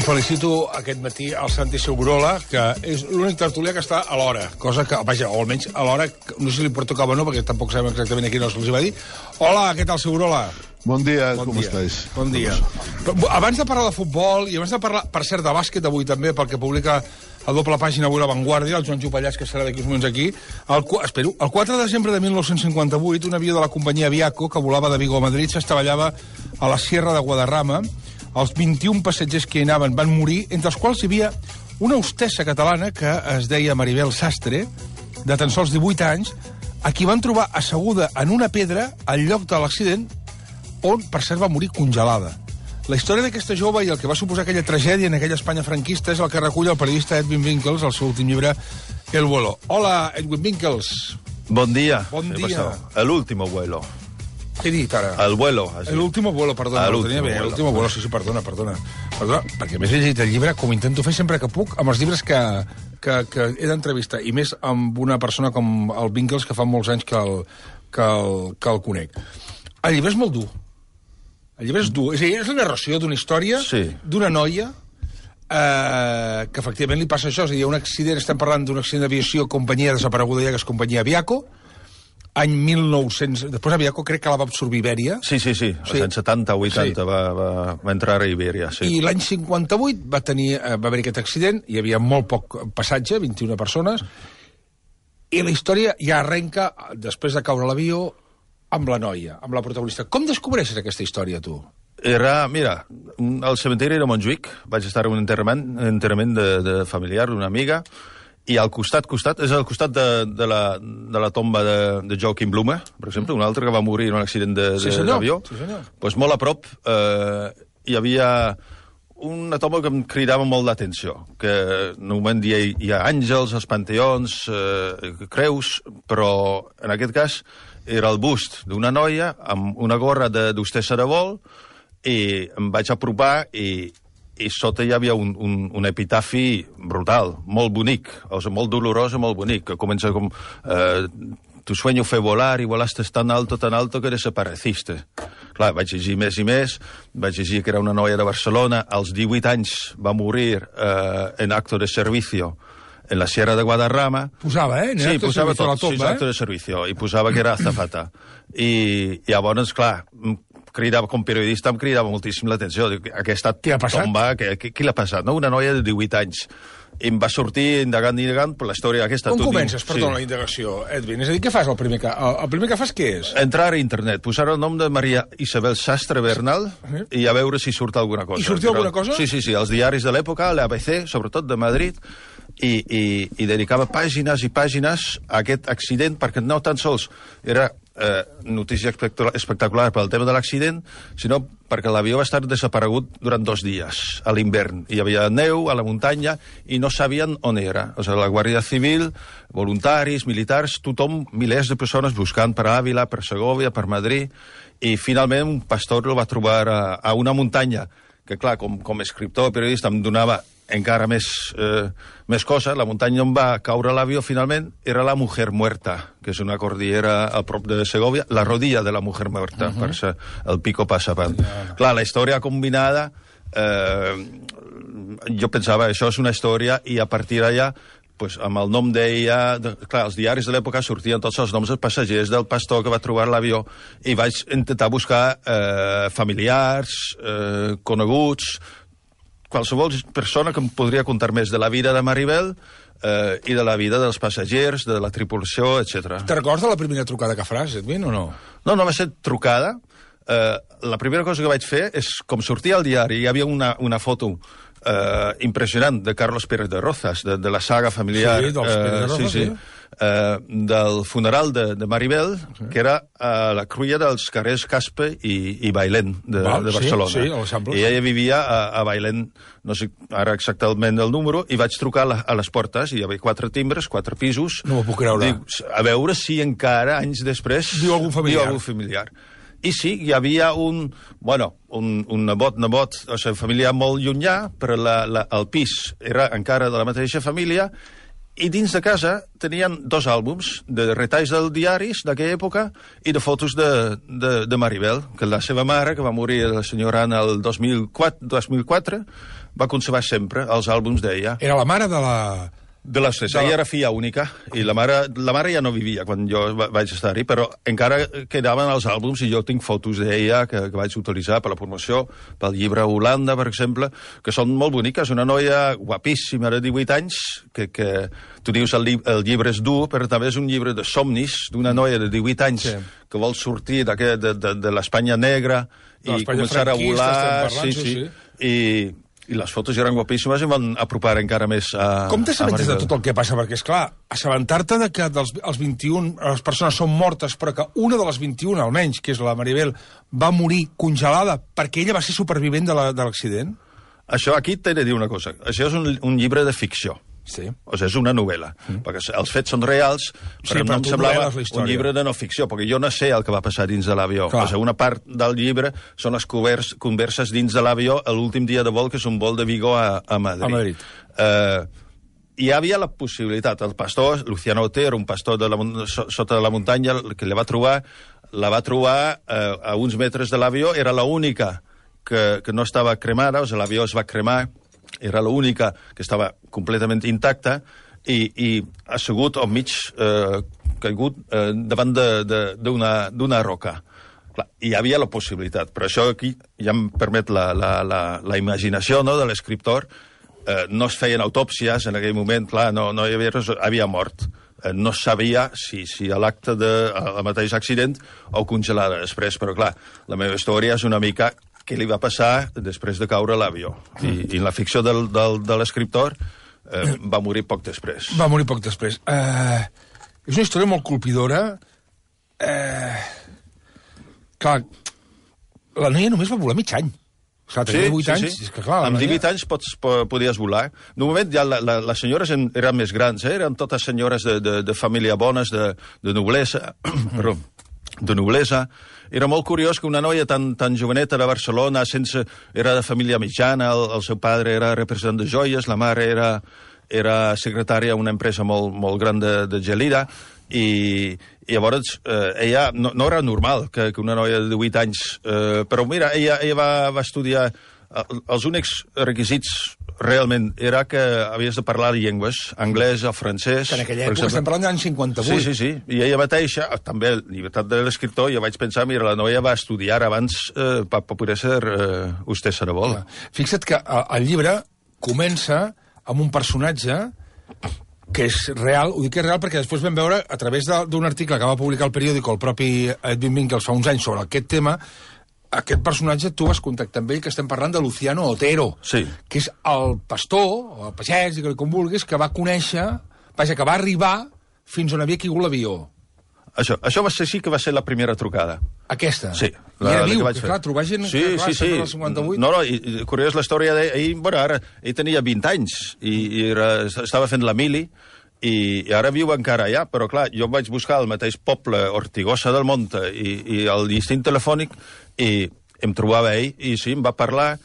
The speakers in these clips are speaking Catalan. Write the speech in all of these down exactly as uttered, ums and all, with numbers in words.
felicito aquest matí al Santi Segurola, que és l'únic tertulià que està a l'hora, cosa que, vaja, o almenys a l'hora, no sé si li pertocava o no, perquè tampoc sabem exactament a quina hora se'ls va dir. Hola, què tal, Segurola? Bon dia, bon com dia. estàs? Bon dia. Abans de parlar de futbol, i abans de parlar, per cert, de bàsquet avui també, perquè publica a doble pàgina avui La Vanguardia, el Joan Jopallàs, que serà d'aquí uns moments aquí, el, espero, el quatre de desembre de mil nou-cents cinquanta-vuit, un avió de la companyia Aviaco, que volava de Vigo a Madrid, s'estavellava a la Sierra de Guadarrama. Els vint-i-un passatgers que hi anaven van morir, entre els quals hi havia una hostessa catalana que es deia Maribel Sastre, de tan sols divuit anys, a qui van trobar asseguda en una pedra al lloc de l'accident, on, per cert, va morir congelada. La història d'aquesta jove i el que va suposar aquella tragèdia en aquella Espanya franquista és el que recull el periodista Edwin Winkels al seu últim llibre, El vuelo. Hola, Edwin Winkels. Bon dia. Bon dia. El último vuelo. Què he dit ara? El vuelo. El último vuelo, perdona. El Ho tenia bé, vuelo. el último vuelo, sí, sí, perdona, perdona. Perdona, perquè més he llegit el llibre, com intento fer sempre que puc, amb els llibres que, que, que he d'entrevistar, i més amb una persona com el Winkels, que fa molts anys que el, que el, que el conec. El llibre és molt dur. El llibre és dur. És a dir, és la narració d'una història, Sí. d'una noia, eh, que efectivament li passa això. És a dir, un accident, estem parlant d'un accident d'aviació, companyia desapareguda ja, que és companyia Aviaco, any mil nou-cents... Després Aviaco crec que la va absorbir Ibèria. Sí, sí, sí. Als Sí. anys setanta, vuitanta Sí. va, va, va entrar a Ibèria, sí. I l'any cinquanta-vuit va, tenir, eh, va haver aquest accident, hi havia molt poc passatge, vint-i-una persones, i la història ja arrenca, després de caure l'avió, amb la noia, amb la protagonista. Com descobreixes aquesta història, tu? Era, mira, al cementiri de Montjuïc, vaig estar en un enterrament, enterrament de, de familiar d'una amiga, i al costat, costat, és al costat de, de, la, de la tomba de, de Joaquim Blume, per exemple, un altre que va morir en un accident de- Sí, de- senyor. d'avió. Sí, senyor. Pues molt a prop eh, hi havia una tomba que em cridava molt l'atenció, que normalment hi ha, hi ha àngels, els panteons, eh, creus, però en aquest cas era el bust d'una noia amb una gorra de- d'hostessa de vol, i em vaig apropar i, i sota hi havia un, un, un epitafi brutal, molt bonic, o sigui, molt dolorós i molt bonic, que comença com... Eh, tu sueño fue volar y volaste tan alto, tan alto que desapareciste. Clar, vaig llegir més i més, vaig llegir que era una noia de Barcelona, als divuit anys va morir eh, en acto de servicio en la Sierra de Guadarrama. Posava, eh? En Sí, acte de posava servicio a la tot, tomba, sí, acte eh? de servicio, i posava que era azafata. I, i llavors, clar, em cridava, com periodista em cridava moltíssim l'atenció. Dic, aquesta Què ha passat? tomba, què, què, què l'ha passat? No? Una noia de divuit anys. I em va sortir indagant, indagant, per la història aquesta. Com Tu comences, dius, perdona, la indagació, Edwin? És a dir, què fas el primer que... El, el primer que fas què és? Entrar a internet, posar el nom de Maria Isabel Sastre Bernal Sí. i a veure si surt alguna cosa. I sortia alguna cosa? Sí, sí, sí, els diaris de l'època, l'A B C, sobretot de Madrid, i, i, i dedicava pàgines i pàgines a aquest accident, perquè no tan sols era eh, notícia espectacular, espectacular pel tema de l'accident, sinó perquè l'avió va estar desaparegut durant dos dies, a l'hivern. Hi havia neu a la muntanya i no sabien on era. O sigui, la Guàrdia Civil, voluntaris, militars, tothom, milers de persones buscant per Àvila, per Segovia, per Madrid, i finalment un pastor el va trobar a, a una muntanya, que clar, com, com a escriptor, periodista, em donava encara més, eh, més cosa. La muntanya on va caure l'avió finalment era la Mujer Muerta, que és una cordillera a prop de Segovia, la rodilla de la Mujer Muerta, uh -huh. per ser el Pico Passapant. Yeah. Clar, la història combinada, eh, jo pensava, això és una història, i a partir d'allà, pues, amb el nom d'ella... De, clar, els diaris de l'època sortien tots els noms dels passatgers, del pastor que va trobar l'avió, i vaig intentar buscar eh, familiars, eh, coneguts, qualsevol persona que em podria contar més de la vida de Maribel eh, i de la vida dels passatgers, de la tripulació, etcètera. Te recordes de la primera trucada que faràs, Edwin, o no? No, no va ser trucada. Eh, la primera cosa que vaig fer és, com sortia al diari, hi havia una, una foto eh, impressionant de Carlos Pérez de Rozas, de, de la saga familiar. Sí, dels Pérez de Rozas, sí, sí. sí. Eh, del funeral de, de Maribel, sí. que era a la cruïlla dels carrers Caspe i, i Bailén de, Val, de sí, Barcelona. sí, a l'Eixample. I ella vivia a, a Bailén, no sé ara exactament el número, i vaig trucar a, la, a les portes, i hi havia quatre timbres, quatre pisos. No m'ho puc creure. Dic, a veure si encara, anys després... Diu algun familiar. Diu algun familiar. I sí, hi havia un, bueno, un, un nebot, nebot, o sigui, família molt llunyà, però la, la, el pis era encara de la mateixa família, I dins de casa tenien dos àlbums de retalls dels diaris d'aquella època i de fotos de, de, de Maribel, que la seva mare, que va morir la senyora Anna el dos mil quatre, va conservar sempre els àlbums d'ella. Era la mare de la... De les tres. Ella era filla única i la mare, la mare ja no vivia quan jo vaig estar-hi, però encara quedaven els àlbums i jo tinc fotos d'ella que, que vaig utilitzar per la promoció, pel llibre Holanda, per exemple, que són molt boniques. Una noia guapíssima de divuit anys, que, que tu dius el, el llibre és dur, però també és un llibre de somnis d'una noia de divuit anys sí. que vol sortir de, de, de, de l'Espanya negra i començar a volar. Parlant, sí, sí. sí. I... I les fotos eren guapíssimes i van apropar encara més a... Com t'assabentes de tot el que passa? Perquè, esclar, assabentar-te de que dels els vint-i-un les persones són mortes, però que una de les vint-i-un, almenys, que és la Maribel, va morir congelada perquè ella va ser supervivent de l'accident? Això, aquí t'he de dir una cosa. Això és un, un llibre de ficció. Sí. O sigui, és una novel·la. Mm. Perquè els fets són reals, però sí, no em semblava un llibre de no ficció, perquè jo no sé el que va passar dins de l'avió. O sigui, una part del llibre són les convers, converses dins de l'avió l'últim dia de vol, que és un vol de Vigo a, a Madrid. A Madrid. Uh, hi havia la possibilitat. El pastor, Luciano Otero, un pastor de la, sota de la muntanya, que la va trobar, la va trobar uh, a uns metres de l'avió, era l'única que, que no estava cremada, o sigui, l'avió es va cremar, era l'única que estava completament intacta i, i assegut al mig, eh, caigut eh, davant d'una roca. Clar, hi havia la possibilitat, però això aquí ja em permet la, la, la, la imaginació, no?, de l'escriptor. Eh, no es feien autòpsies en aquell moment, clar, no, no hi havia res, havia mort. Eh, no sabia si, si a l'acte del mateix accident o congelada després, però clar, la meva història és una mica què li va passar després de caure a l'avió. I, I la ficció del, del, de l'escriptor eh, va morir poc després. Va morir poc després. Uh, és una història molt colpidora. Uh, clar, la noia només va volar mig any. Clar, tenia divuit anys. Sí. És que, clar, amb noia... divuit anys pots, podies volar. De moment ja la, la, les senyores en, eren més grans, eh? Eren totes senyores de, de, de família bones, de, de noblesa, però de noblesa. Era molt curiós que una noia tan, tan joveneta de Barcelona, sense, era de família mitjana, el, el seu padre era representant de joies, la mare era, era secretària d'una empresa molt, molt gran de, de Gelida, i, i llavors eh, ella no, no era normal que, que una noia de divuit anys, eh, però mira, ella, ella va, va estudiar, els únics requisits realment era que havies de parlar llengües, anglès o francès. Que en aquella època estem parlant de l'any cinquanta-vuit. Sí, sí, sí. I ella mateixa, també, llibertat de l'escriptor, jo vaig pensar, mira, la noia va estudiar abans eh, per poder ser eh, hostessa de vol. Fixa't que el llibre comença amb un personatge que és real, ho dic que és real perquè després vam veure, a través d'un article que va publicar el periòdic el propi Edwin Winkels fa uns anys sobre aquest tema, aquest personatge tu vas contactar amb ell, que estem parlant de Luciano Otero, sí. que és el pastor, o el pagès, digue-li com vulguis, que va conèixer, vaja, que va arribar fins on havia caigut l'avió. Això, això va ser sí que va ser la primera trucada. Aquesta? Sí. La, I era viu, que clar, trobar gent sí, que clar, sí, sí. del cinquanta-vuit... No, no, i, i curiós la història d'ell, bueno, ara, ell tenia vint anys, i, i era, estava fent la mili, i, i ara viu encara allà, però clar, jo vaig buscar el mateix poble, Ortigosa del Monte, i, i el distint telefònic, i em trobava ell, i sí, em va parlar,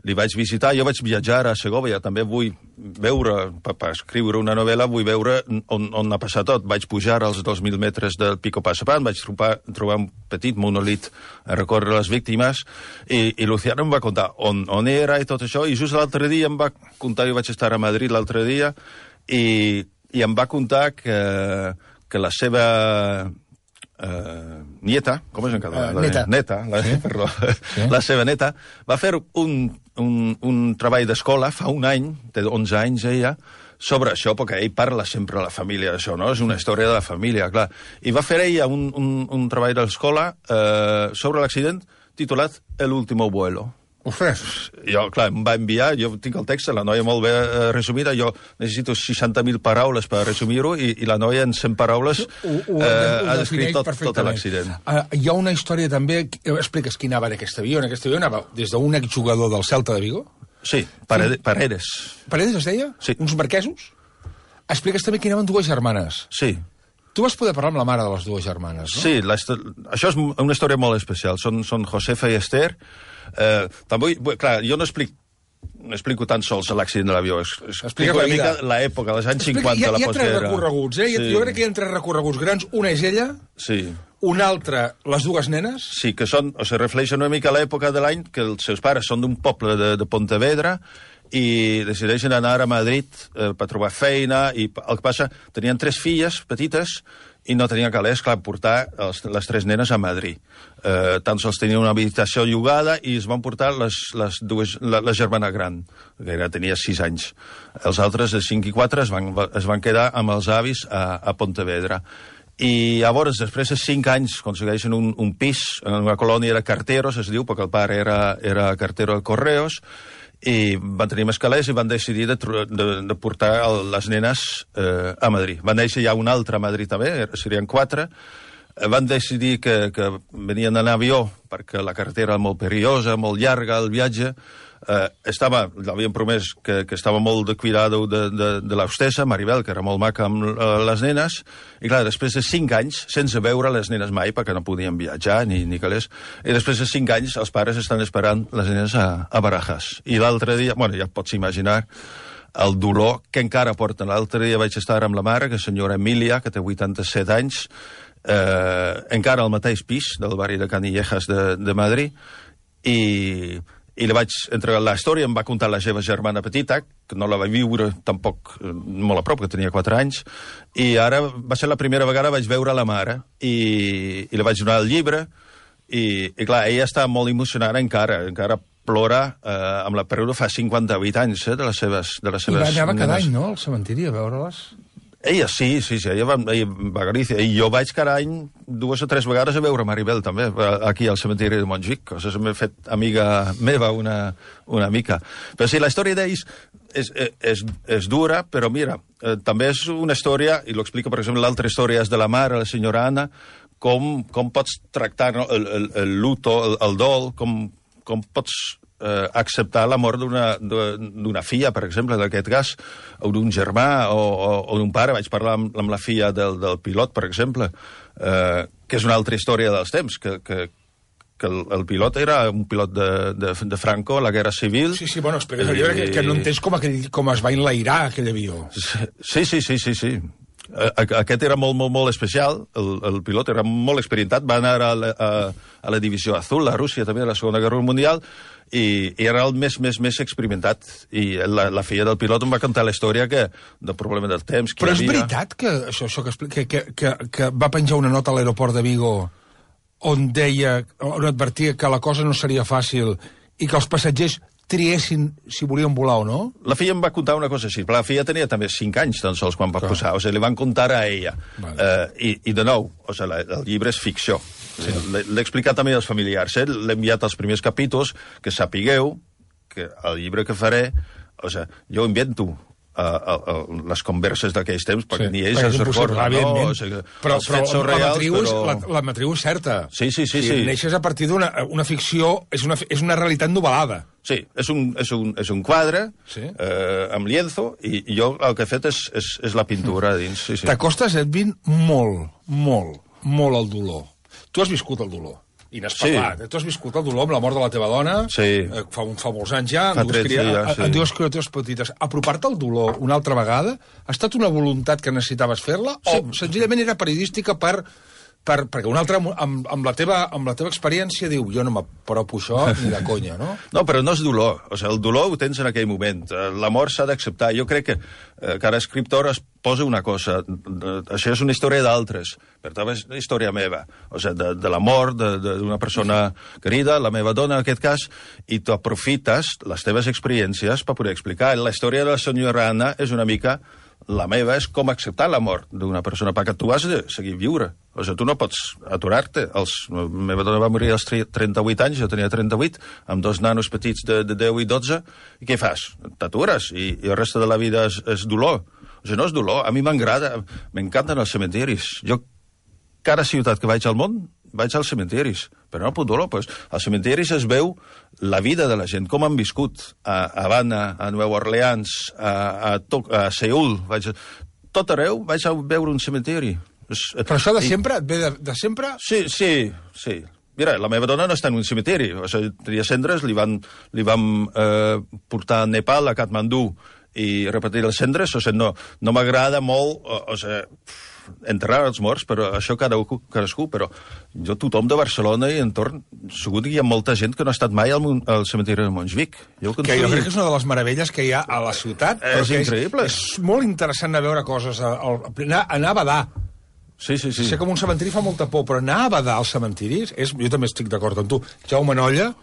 li vaig visitar, jo vaig viatjar a Segovia, també vull veure, per, per escriure una novel·la, vull veure on, on ha passat tot. Vaig pujar als dos mil metres del Pico Passapan, vaig trobar, trobar un petit monolit a recórrer les víctimes, i, i Luciano em va contar on, on era i tot això, i just l'altre dia em va contar, jo vaig estar a Madrid l'altre dia, i, i em va contar que, que la seva... Uh, nieta, com és en català? Uh, neta. Neta, la, sí. Perdó, sí. La seva neta, va fer un, un, un treball d'escola fa un any, té onze anys ella, sobre això, perquè ell parla sempre a la família d'això, no? És una història de la família, clar. I va fer ella un, un, un treball d'escola uh, sobre l'accident titulat El último vuelo. Ostres. Jo, clar, em va enviar, jo tinc el text, la noia molt bé eh, resumida, jo necessito seixanta mil paraules per resumir-ho, i, i la noia en cent paraules ho, ho, eh, ho ha descrit tot, tot l'accident. Uh, hi ha una història també, expliques qui anava en aquest avió, en aquest avió anava des d'un exjugador del Celta de Vigo? Sí, Paredes. Paredes, Paredes es deia? Sí. Uns marquesos? Expliques també que anaven dues germanes. Sí. Tu vas poder parlar amb la mare de les dues germanes, no? Sí, la, això és una història molt especial. Són, són Josefa i Esther. Eh, també, clar, jo no explic explico tan sols l'accident de l'avió. Explico Explica una la mica vida. l'època, als anys Explica, cinquanta, hi ha, la hi ha tres postguerra. recorreguts, eh? Sí. Jo crec que hi ha tres recorreguts grans. Una és ella, Sí. una altra, les dues nenes. Sí, que són, o sigui, refleixen una mica l'època de l'any que els seus pares són d'un poble de, de Pontevedra i decideixen anar a Madrid eh, per trobar feina, i el que passa, tenien tres filles petites i no tenien calés, clar, portar els, les tres nenes a Madrid. Eh, tan sols tenien una habitació llogada i es van portar les, les dues, la, la germana gran, que era, tenia sis anys. Els altres, de cinc i quatre, es van, es van quedar amb els avis a, a Pontevedra. I llavors, després de cinc anys, aconsegueixen un, un pis en una colònia de carteros, es diu, perquè el pare era, era cartero de Correos, i van tenir més calés i van decidir de, de, de portar el, les nenes eh, a Madrid. Van néixer ja un altre a Madrid també, serien quatre. Eh, van decidir que, que venien en avió perquè la carretera era molt perillosa, molt llarga, el viatge. Eh, estava, l'havien promès que, que estava molt de cuidado de, de, de l'hostessa, Maribel, que era molt maca amb uh, les nenes, i clar, després de cinc anys, sense veure les nenes mai, perquè no podien viatjar ni, ni calés, i després de cinc anys els pares estan esperant les nenes a, a Barajas. I l'altre dia, bueno, ja pots imaginar el dolor que encara porten. L'altre dia vaig estar amb la mare, que és senyora Emília, que té vuitanta-set anys, eh, encara al mateix pis del barri de Canillejas de, de Madrid, i... i li vaig entregar la història, em va contar la seva germana petita, que no la va viure tampoc molt a prop, que tenia quatre anys, i ara va ser la primera vegada que vaig veure la mare, i, i li vaig donar el llibre, i, i clar, ella està molt emocionada encara, encara plora eh, amb la pèrdua fa cinquanta-vuit anys eh, de les seves, de les seves I va anava cada nenes. any, no?, al cementiri a veure-les. Ella sí, sí, sí, ella va, ella va a Galícia, i jo vaig cada any dues o tres vegades a veure Maribel, també, aquí al cementiri de Montjuïc, o sigui, m'he fet amiga meva una, una mica. Però sí, la història d'ells és, és, és dura, però mira, eh, també és una història, i lo explica, per exemple, l'altra història és de la mare, la senyora Anna, com, com pots tractar no, el, el, el luto, el, el dol, com, com pots eh, acceptar la mort d'una filla, per exemple, d'aquest cas, o d'un germà, o, o, o d'un pare. Vaig parlar amb, amb la filla del, del pilot, per exemple, eh, que és una altra història dels temps, que, que, que el, el pilot era un pilot de, de, de Franco, a la Guerra Civil. Sí, sí, bueno, explica el llibre que, que no entens com, aquell, com es va enlairar aquell avió. Sí, sí, sí, sí, sí. Aquest era molt, molt, molt especial, el, el pilot era molt experimentat, va anar a la, a, a la Divisió Azul, a Rússia també, a la Segona Guerra Mundial, i, i era el més, més, més experimentat. I la, la filla del pilot em va contar la història que, del problema del temps. Però és havia... veritat que això, això que, que, que, que, que va penjar una nota a l'aeroport de Vigo on deia, on advertia que la cosa no seria fàcil i que els passatgers triessin si volien volar o no? La filla em va contar una cosa així, però la filla tenia també cinc anys tan sols quan va Clar. posar, o sigui, li van contar a ella. Vale. Uh, i, I de nou, o sigui, la, el llibre és ficció. Sí. L'he explicat també als familiars, eh? L'he enviat als primers capítols, que sapigueu que el llibre que faré, o sigui, jo invento Uh, uh, uh, les converses d'aquells temps, perquè sí, ni ells es recorden, no? O sigui, però els però fets són la, reals, matriu és, però... la, la matriu és certa. Sí, sí, sí. O sigui, sí. neixes a partir d'una una ficció, és una, és una realitat novel·lada. Sí, és un, és un, és un quadre Sí. eh, amb lienzo, i, i jo el que he fet és, és, és la pintura a dins. Sí, sí. T'acostes, Edwin, molt, molt, molt al dolor. Tu has viscut el dolor. I n'has parlat. Sí. Tu has viscut el dolor amb la mort de la teva dona, sí. eh, fa, fa molts anys ja, fa amb dues, cria, ja, sí. amb dues criatures petites. Apropar-te al dolor una altra vegada ha estat una voluntat que necessitaves fer-la sí. o senzillament era periodística per... Per, perquè un altre, amb, amb, la teva, amb la teva experiència, diu, jo no m'apropo això ni de conya, no? No, però no és dolor. O sigui, el dolor ho tens en aquell moment. La mort s'ha d'acceptar. Jo crec que eh, cada escriptor es posa una cosa. Això és una història d'altres, per tant és una història meva. O sigui, de, de la mort d'una persona querida, la meva dona en aquest cas, i tu aprofites les teves experiències per poder explicar. La història de la senyora Anna és una mica... La meva és com acceptar la mort d'una persona, perquè tu has de seguir viure. O sigui, tu no pots aturar-te. Els... La meva dona va morir als trenta-vuit anys, jo tenia trenta-vuit, amb dos nanos petits de, de deu i dotze, i què fas? T'atures, i, i el reste de la vida és, és dolor. O sigui, no és dolor. A mi m'agrada, m'encanten els cementiris. Jo, cada ciutat que vaig al món, vaig als cementiris, però no puc dolor. Pues, als cementiris es veu la vida de la gent, com han viscut a Havana, a Nova Orleans, a, a, Toc, a Seul. Vaig, tot arreu vaig a veure un cementiri. Però això de sempre, et ve de, de sempre? Sí, sí, sí. Mira, la meva dona no està en un cementiri. O sigui, tenia cendres, li van, li van eh, portar a Nepal, a Katmandú, i repetir les cendres. O sigui, no, no m'agrada molt, o, o sigui, enterrar els morts, però això cadascú, cadascú, però jo, tothom de Barcelona i entorn, segur que hi ha molta gent que no ha estat mai al, al cementiri de Montjuïc. Jo, que jo crec que és una de les meravelles que hi ha a la ciutat. És increïble. És, és molt interessant de veure coses, a, a, anar, anar a badar. Sí, sí, sí. Sé que un cementiri fa molta por, però anar a badar als cementiris, és, jo també estic d'acord amb tu. Jaume Nolla,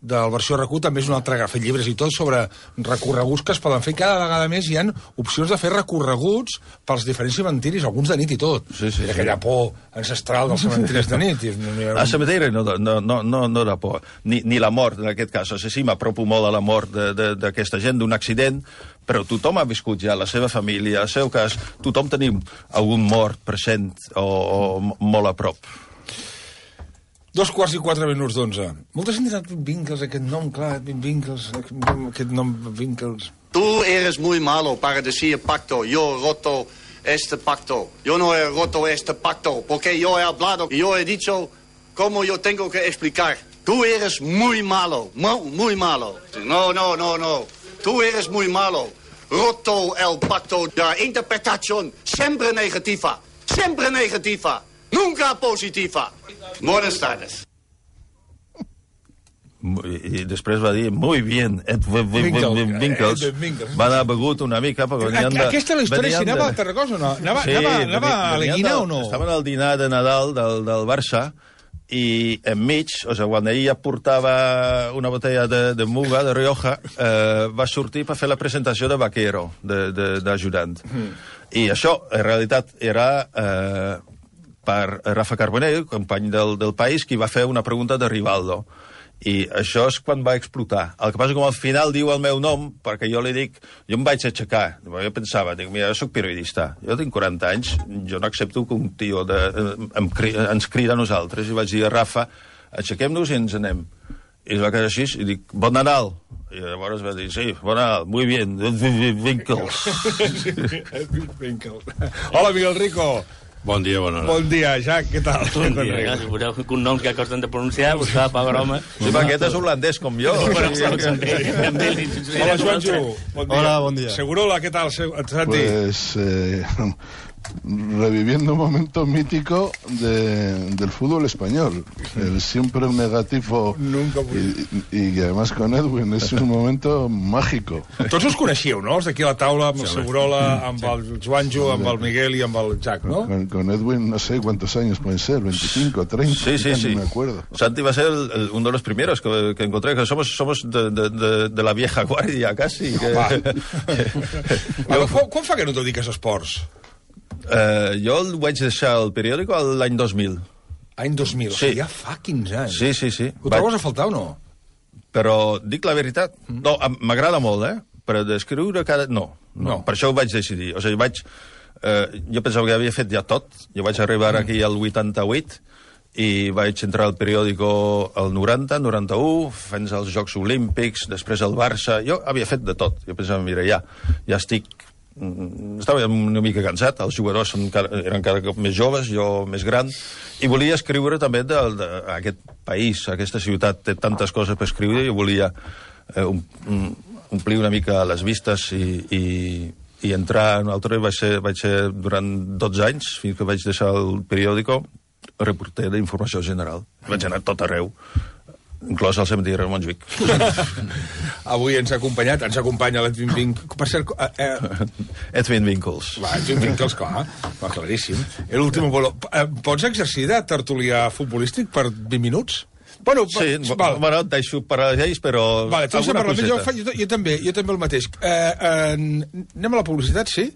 del versió R Q, també és un altre que ha fet llibres i tot sobre recorreguts que es poden fer. Cada vegada més hi ha opcions de fer recorreguts pels diferents cementiris, alguns de nit i tot. Sí, sí, aquella sí. por ancestral dels cementiris de nit. Un... Al cementiri no, no, no, no, no da por, ni, ni la mort, en aquest cas. O sigui, sí, m'apropo molt a la mort d'aquesta gent, d'un accident, però tothom ha viscut ja, la seva família, el seu cas, tothom tenim algun mort present o, o molt a prop. Dos quarts i quatre minuts d'onze. Molta gent dirà Vinkels, aquest nom, clar, Vinkels, aquest nom, Vinkels. Tú eres muy malo para decir pacto. Yo he roto este pacto. Yo no he roto este pacto, porque yo he hablado y yo he dicho cómo yo tengo que explicar. Tú eres muy malo, muy malo. No, no, no, no. Tú eres muy malo. Roto el pacto. La interpretación siempre negativa. Siempre negativa. Nunca positiva. Buenas tardes. I després va dir, muy bien, Vinkels. Va anar begut una mica. Aquesta és la història, si anava a Tarragona o no? Anava a l'Eguina o no? Estaven al dinar de Nadal del Barça i enmig, o sigui, quan ella portava una botella de, de Muga, de Rioja, eh, va sortir per fer la presentació de Vaquero, d'ajudant. Mm. I això, en realitat, era eh, per Rafa Carbonell, company del, del País, qui va fer una pregunta de Rivaldo. I això és quan va explotar. El que passa és que al final diu el meu nom, perquè jo li dic, jo em vaig aixecar. Jo pensava, dic, mira, jo soc periodista, jo tinc quaranta anys, jo no accepto que un tio de, em, ens crida a nosaltres. I vaig dir a Rafa, aixequem-nos i ens anem. I es va quedar així, i dic, bon Nadal. I llavors va dir, sí, bon Nadal, muy bien, Vinkels. Hola, Miguel Rico. Bon dia, bona hora. Bon dia, Jack, què tal? Bon dia, ja, suposeu que un nom que costen de pronunciar, pues fa pa broma. Sí, perquè aquest és holandès com jo. Hola, Joanjo. Hola, bon dia. Segurola, què tal, Santi? Pues... Eh... reviviendo un momento mítico de, del fútbol español, el siempre negativo. Nunca y, y además con Edwin es un momento mágico. Tots us coneixíeu, no? Els d'aquí a la taula, amb el Segurola, amb el Joanjo, amb el Miguel i amb el Jack, ¿no? Con, con Edwin no sé cuántos años pueden ser, veinticinco, treinta, sí, sí, sí. No me acuerdo. Santi va a ser el, el, uno de los primeros que, que encontré, que somos, somos de, de, de, de la vieja guardia, casi. Que... jo... Quan fa que no te dediques a esports? Uh, jo el vaig deixar el periòdico l'any dos mil. Any dos mil? Sí. O sigui, ja fa quinze anys. Sí, sí, sí. Ho trobes a faltar o no? Però dic la veritat. Mm. No, m'agrada molt, eh? Però d'escriure cada... No, no, no. Per això ho vaig decidir. O sigui, vaig... Eh, jo pensava que havia fet ja tot. Jo vaig arribar mm. aquí al vuitanta-vuit i vaig entrar al periòdico al noranta, noranta-u, fins als Jocs Olímpics, després al Barça... Jo havia fet de tot. Jo pensava, mira, ja, ja estic... Estava una mica cansat, els jugadors eren cada cop més joves, jo més gran, i volia escriure també d'aquest país, aquesta ciutat té tantes coses per escriure, i volia eh, um, omplir una mica les vistes i, i, i entrar en un altre. Vaig ser, vaig ser durant dotze anys, fins que vaig deixar el periòdico, reporter d'informació general. Vaig anar tot arreu, inclòs al cementiri de Montjuïc. Avui ens ha acompanyat, ens acompanya l'Edwin Vinkels. Per cert... Eh, eh... Edwin Vinkels. Va, Edwin Vinkels, clar, va, claríssim. L'últim vol... Eh, pots exercir de tertulià futbolístic per vint minuts? Bueno, sí, val. Bueno, et deixo per a ells, però... Vale, alguna coseta. Jo, fa, jo, jo, també, jo també el mateix. Eh, eh, anem a la publicitat, sí,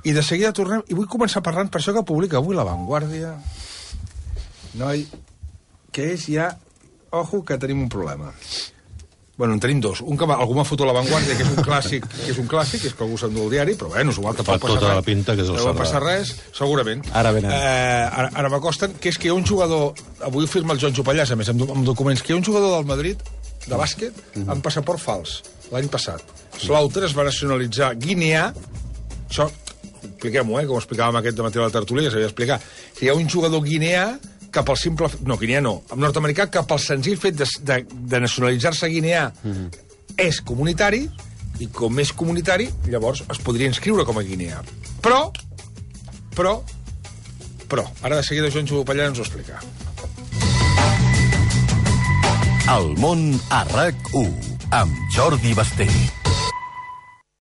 i de seguida tornem, i vull començar parlant per això que publica avui La Vanguardia. Noi, que és ja... Ojo, que tenim un problema. Bueno, en tenim dos. Un que algú m'ha fotut a La Vanguardia, que és un clàssic, que és un clàssic, que és que algú s'endú el diari, però bueno, igual tampoc passa tota res. La pinta, que és el no passa res, segurament. Ara venen. Eh, ara ara m'acosten, que és que hi ha un jugador, avui ho firma el Joan Pallàs, a més, amb, amb documents, que hi ha un jugador del Madrid, de bàsquet, mm-hmm. amb passaport fals, l'any passat. Slaughter es va nacionalitzar guineà, això, expliquem-ho, eh, com explicàvem aquest dematí a la tertúlia, ja s'havia d'explicar. Hi ha un jugador guineà cap al simple... No, guineà no. Nord-americà cap al senzill fet de, de, de nacionalitzar-se guineà mm-hmm. és comunitari, i com és comunitari, llavors es podria inscriure com a guineà. Però, però, però, ara de seguida Joan Jupallà ens ho explica. El món a RAC u, amb Jordi Basté.